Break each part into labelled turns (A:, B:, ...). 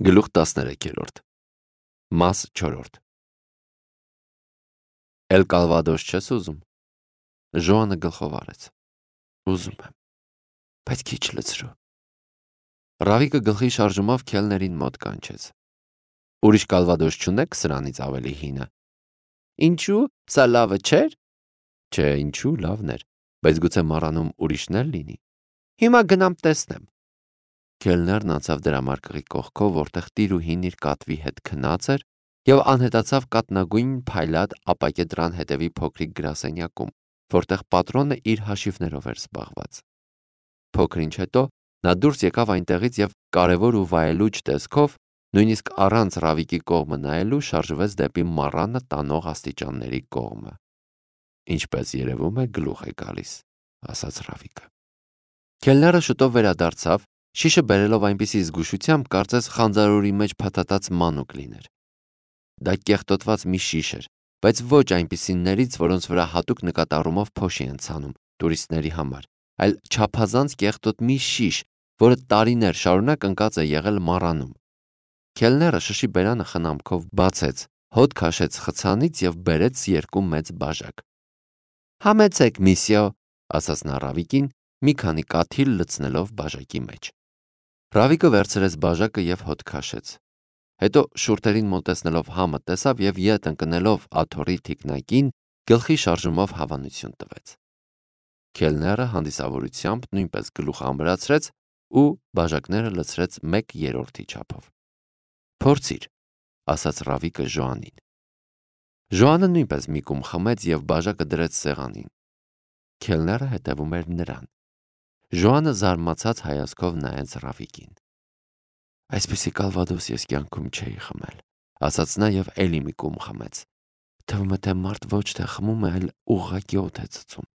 A: Գլուխ 13 Մաս 4 Էլ Կալվադոս չես ուզում։ Ժոանը գլխով արեց։ Ուզում եմ, բայց քիչ լցրու։ Ռավիկը գլխի շարժումով քելներին մոտ կանչեց։ Ուրիշ Կալվադոս չունեք սրանից ավելի հինը։ Ինչու, սա լավը չէր։ Չէ, ինչու, լավն էր, բայց գուցե մառանում ուրիշն էլ լինի։ Հիմա գնամ տեսնեմ։ Քելներն անցավ դրամարկղի կողքով, որտեղ տիրուհին իր կատվի հետ քնած էր, եւ անհետացավ կատնագույն փայլատ ապակե դրան հետևի փոքրիկ գրասենյակում, որտեղ պատրոնը իր հաշիվներով էր զբաղված։ Փոքր ինչ հետո նա դուրս եկավ այնտեղից եւ կարևոր ու վայելուչ տեսքով, նույնիսկ առանց Ռավիկի կողմը նայելու, շարժվեց դեպի մառանը տանող աստիճանների կողմը։ Ինչպես երևում է, գլուխ է գալիս, ասաց Ռավիկը։ Քելները շուտով վերադարձավ, շիշը բերելով այնպիսի զգուշությամբ, կարծես խանձարորի մեջ փաթաթած մանուկ լիներ։ Դա կեղտոտված մի շիշ էր, բայց ոչ այնպիսիներից, որոնց վրա հատուկ նկատառումով փոշի են ցանում տուրիստների համար, այլ չափազանց կեղտոտ մի շիշ, որը տարիներ շարունակ ընկած է եղել մառանում։ Քելները շշի բերանը խնամքով բացեց, հոտ քաշեց խցանից եւ բերեց երկու մեծ բաժակ։ Համեցեք, միսիո, ասաց նա Ռավիկին, մի քանի կաթիլ լցնելով բաժակի մեջ։ Ռավիկը վերցրեց բաժակը եւ հոտ քաշեց։ Հետո շուրթերին մոտեցնելով համը տեսավ եւ ետ ընկնելով աթոռի թիկնակին գլխի շարժումով հավանություն տվեց։ Քելները հանդիսավորությամբ նույնպես գլուխ ամրացրեց ու բաժակները լցրեց 1/3 չափով։ Փորձիր, ասաց Ռավիկը Ժոանին։ Ժոանը նույնպես մի կում խմեց եւ բաժակը դրեց սեղանին։ Քելները հետևում էր նրան։ Ժոանը զարմացած հայացքով նայեց Ռավիկին։ Այսպիսի Կալվադոս ես կյանքում չէի խմել, ասաց նա եւ էլի մի կում խմեց։ Թվում է թե մարդ ոչ թե խմում է, այլ ուղղակի օդ է ծծում։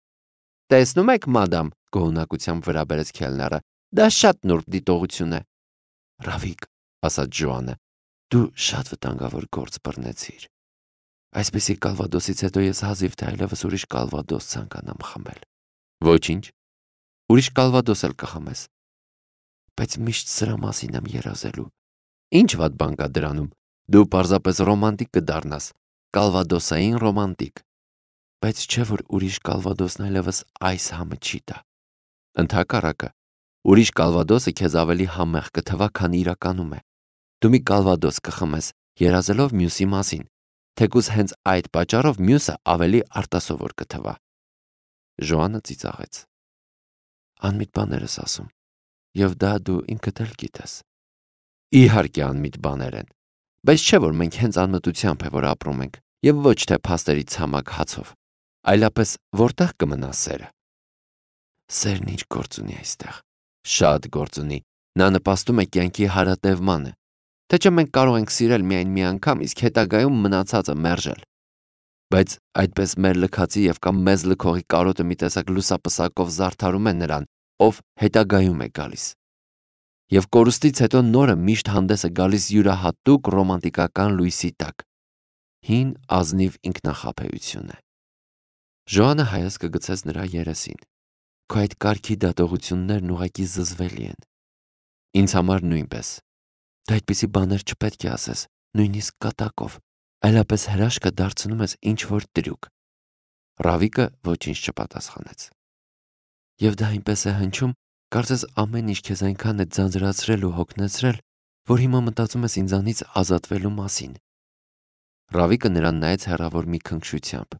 A: Տեսնում եք, մադամ, գոհունակությամբ վրա բերեց քելները, դա շատ նուրբ դիտողություն է։ Ռավիկ, ասաց Ժոանը, դու շատ վտանգավոր գործ բռնեցիր։ Այսպիսի Կալվադոսից հետո ես հազիվ թե այլևս ուրիշ Կալվադոս ցանկանամ խմել։ Ոչինչ։ Ուրիշ Կալվադոս էլ կխմես։ Բայց միշտ սրա մասին եմ երազելու։ Ինչ վատ բան կա դրանում։ Դու պարզապես ռոմանտիկ կդառնաս, Կալվադոսային ռոմանտիկ։ Բայց չէ որ ուրիշ Կալվադոսն այլևս այս համը չի տա։ Ընդհակառակը, ուրիշ Կալվադոսը քեզ ավելի համեղ կթվա, քան իրականում է։ Դու մի Կալվադոս կխմես, երազելով մյուսի մասին, թեկուզ հենց այդ պատճառով մյուսը ավելի արտասովոր կթվա։ Ժոանը ծիծաղեց։ Անմիտ բաներ ես ասում, եւ դա դու ինքդ էլ գիտես։ Իհարկե անմիտ բաներ են, բայց չէ որ մենք հենց անմտությամբ է որ ապրում ենք, եւ ոչ թե փաստերի ցամաք հացով, այլապես որտեղ կմնա սերը։ Սերն ինչ գործ ունի այստեղ։ Շատ գործ ունի։ Նա նպաստում է կյանքի հարատևմանը։ Թե չէ մենք կարող ենք սիրել միայն մի անգամ, իսկ հետագայում մնացածը մերժել։ Բայց այդպես մեր լքացի եւ կամ մեզ լքողի կարոտը մի տեսակ լուսապսակով զարդարում է նրան, ով հետագայում է գալիս։ Եվ կորուստից հետո նորը միշտ հանդես է գալիս յուրահատուկ ռոմանտիկական լույսի տակ։ Հին ազնիվ ինքնախաբեություն է։ Ժոանը հայացքը գցեց նրա երեսին։ Քո այդ կարգի դատողություններն ուղղակի զզվելի են։ Ինձ համար նույնպես։ Դու այդպիսի բաներ չպետք է ասես, նույնիսկ կատակով, այլապես հրաշքը դարձնում ես ինչ-որ տրյուկ։ Ռավիկը ոչինչ չպատասխանեց։ Եվ դա այնպես է հնչում, կարծես ամեն ինչ քեզ այնքան է ձանձրացրել ու հոգնեցրել, որ հիմա մտածում ես ինձանից ազատվելու մասին։ Ռավիկը նրան նայեց հեռավոր մի քնքշությամբ։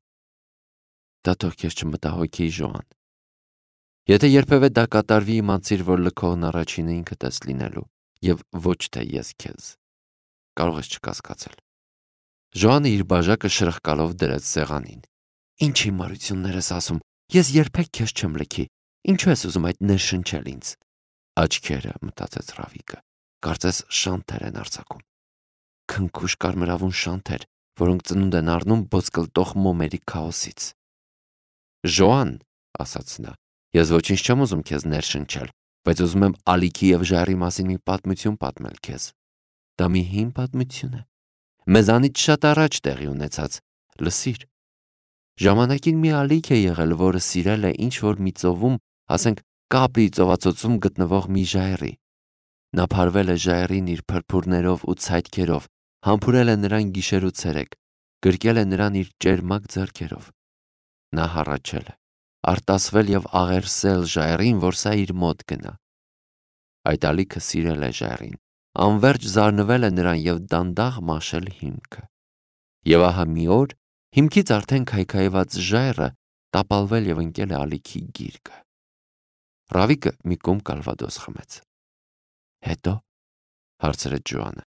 A: Դա թող քեզ չմտահոգի, Ժոան։ Եթե երբևէ դա կատարվի, իմացիր, որ լքողն առաջինը ինքդ ես լինելու, եւ ոչ թե ես քեզ։ Կարող ես չկասկածել։ Ժոանը իր բաժակը շրխկալով դրեց սեղանին։ Ինչ հիմարություններ ես ասում, ես երբեք քեզ չեմ լքի։ Ինչու ես ուզում այդ ներշնչել ինձ։ Աչքերը, մտածեց Ռավիկը, կարծես շանթեր են արձակում։ Քնքուշ կարմրավուն շանթեր, որոնք ծնունդ են առնում ոսկլտող մոմերի քաոսից։ Ժոան, ասաց նա, ես ոչինչ չեմ ուզում քեզ ներշնչել, բայց ուզում եմ ալիքի եւ ժայռի մասին մի պատմություն պատմել քեզ։ Դա մի հին պատմություն է։ Մեզանից շատ առաջ տեղի ունեցած, լսիր։ Ժամանակին մի ալիք է եղել, որը սիրել է ինչ որ մի ծովում, ասենք Կապրի ծովածոցում գտնվող մի ժայռի։ Նա փարվել է ժայռին իր փրփուրներով ու ցայտքերով, համբուրել է նրան գիշեր ու ցերեկ, գրկել է նրան իր ճերմակ ձեռքերով։ Նա հառաչել է, արտասվել եւ աղերսել ժայռին, որ սա իր մոտ գնա։ Այդ ալիքը սիրել է ժայռին, անverջ զարնվել է նրան եւ դանդաղ մաշել հիմքը։ Եվ ահա մի օր հիմքից արդեն քայքայված ժայռը տապալվել եւ ընկել է ալիքի գիրկը։ Ռավիկը մի կում կալվադոս խմեց։ Հետո հարցրեց Ջոանը։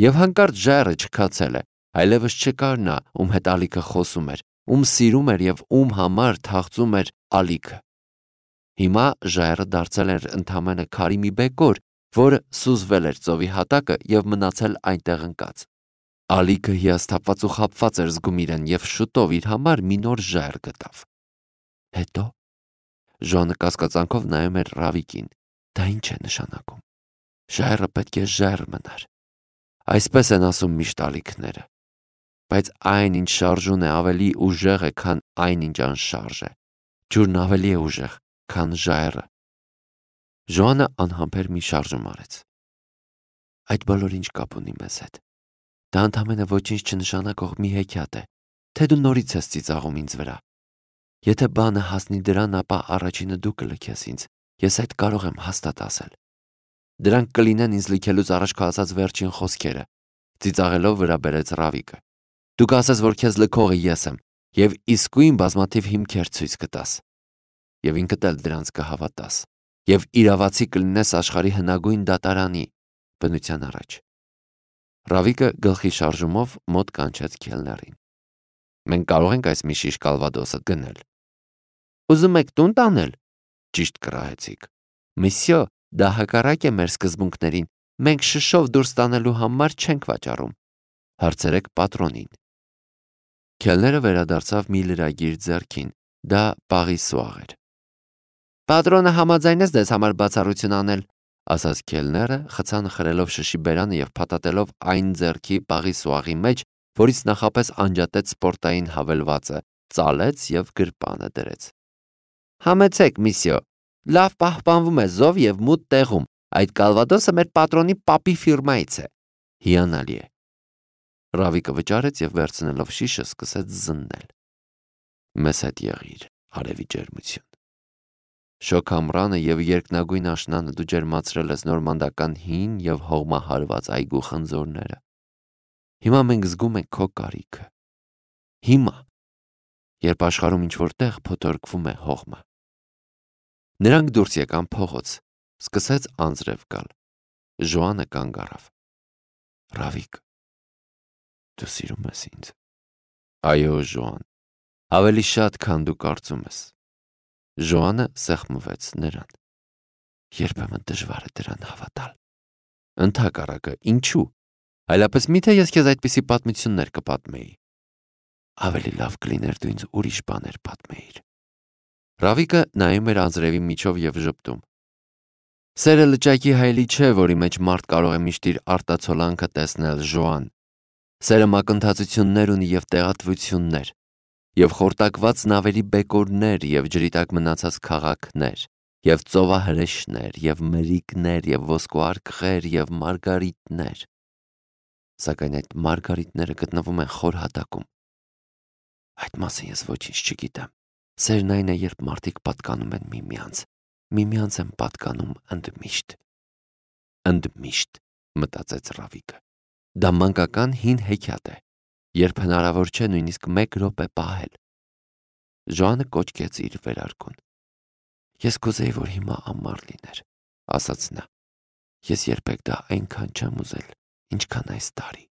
A: Եվ հանկարծ ժայռը չքացել է, այլևս չկար նա, ում հետ ալիքը խոսում էր, ում սիրում էր եւ ում համար թաղծում էր ալիքը։ Հիմա ժայռը դարձել էր ընդամենը քարի մի բեկոր, որը սուզվել էր ծովի հատակը եւ մնացել այնտեղ ընկած։ Ալիքը հիասթափված ու խաբված էր զգում իրեն եւ շուտով իր համար մի նոր ժայռ գտավ։ Հետո Ժոանը կասկածանքով նայում էր Ռավիկին։ Դա ինչ է նշանակում։ Ժայռը պետք է ժայռ մնար։ Այսպես են ասում միշտ ալիքները։ Բայց այն, ինչ շարժուն է, ավելի ուժեղ է, քան այն, ինչ անշարժ է։ Ջուրն ավելի է ուժեղ, քան ժայռը։ Ժոանը անհամբեր մի շարժում արեց։ Այդ բոլորը ինչ կապ ունի մեզ հետ։ Դա ընդամենը ոչինչ չնշանակող մի հեքիաթ է, թե դու նորից ես ծիծաղում ինձ վրա։ Եթե բանը հասնի դրան, ապա առաջինը դու կլքես ինձ, ես այդ կարող եմ հաստատ ասել։ Դրանք կլինեն ինձ լքելուց առաջ քո ասած վերջին խոսքերը, ծիծաղելով վրա բերեց Ռավիկը։ Դու կասես, որ քեզ լքողը ես եմ, եւ իսկույն բազմաթիվ հիմքեր ցույց կտաս։ Եվ ինքդ էլ դրանց կհավատաս, եւ իրավացի կլինես աշխարհի հնագույն դատարանի բնության առաջ։ Ռավիկը գլխի շարժումով մոտ կանչեց քելներին։ Մենք կարող ենք այս մի շիշ կալվադոսը գնել։ Ուզում եք տուն տանել։ Ճիշտ կռահեցիք։ Միսյո, դա հակառակ է մեր սկզբունքներին։ Մենք շշով դուրս տանելու համար չենք վաճառում։ Հարցրեք պատրոնին։ Քելները վերադարձավ մի լրագիր ձեռքին, դա պաղի սուաղ էր։ Պատրոնը համաձայնեց դες համար բացառություն անել, ասաց քելները, խցանխրելով շշի բերանը եւ փաթաթելով այն ձեռքի պաղի սուաղի մեջ, որից նախապես անջատեց սպորտային հավելվածը, ծալեց եւ գրպանը դրեց։ Համեցեք, միսյո, լավ պահպանվում է զով եւ մութ տեղում։ Այդ կալվադոսը մեր պատրոնի պապի ֆիրմայից է։ Հիանալի է։ Ռավիկը վճարեց եւ վերցնելով շիշը սկսեց զննել։ Մեզ հետ եղիր, արևի ջերմություն։ Շոք ամռանը եւ երկնագույն աշնանը դու ջերմացրել ես նորմանդական հին եւ հողմահարված այգու խնձորները։ Հիմա մենք զգում ենք քո կարիքը։ Հիմա, երբ աշխարհում ինչ-որ տեղ փոթորկվում է հողմը։ Նրանք դուրս եկան փողոց, սկսեց անձրև գալ։ Ժոանը կանգ առավ։ Ռավիկ, դու սիրում ես ինձ։ Այո, Ժոան, ավելի շատ, քան դու կարծում ես։ Ժոանը սեղմվեց նրան։ Երբեմն դժվար է դրան հավատալ։ Ընդհակառակը, ինչու։ Այլապես միթե ես քեզ այդպիսի պատմություններ կպատմեի։ Ավելի լավ կլիներ դու ինձ ուրիշ բաներ պատմեիր։ Ռավիկը նայում էր անձրևի միջով եւ ժպտում։ Սերը լճակի հայելի չէ, որի մեջ մարդ կարող է միշտ իր արտացոլանքը տեսնել, Ժոան։ Սերը մակընթացություններ ունի եւ տեղատվություններ, եւ խորտակված նավերի բեկորներ, եւ ջրի տակ մնացած քաղաքներ, եւ ծովահրեշներ, եւ մրիկներ, եւ ոսկուարկղեր, եւ մարգարիտներ։ Սակայն այդ մարգարիտները գտնվում են խոր հատակում։ Այդ մասին ես ոչինչ չգիտեմ։ Սերն այն է, երբ մարդիկ պատկանում են միմյանց են պատկանում ընդմիշտ։ Ընդմիշտ, մտածեց Ռավիկը։ Դա մանկական հին հեքիաթ է, երբ հնարավոր չէ նույնիսկ 1 րոպե պահել։ Ժոանը կոչկեց իր վերարկուն։ Ես կուզեի, որ հիմա ամառ լիներ, ասաց նա։ Ես երբեք դա այնքան չեմ ուզել, ինչքան այս տարի։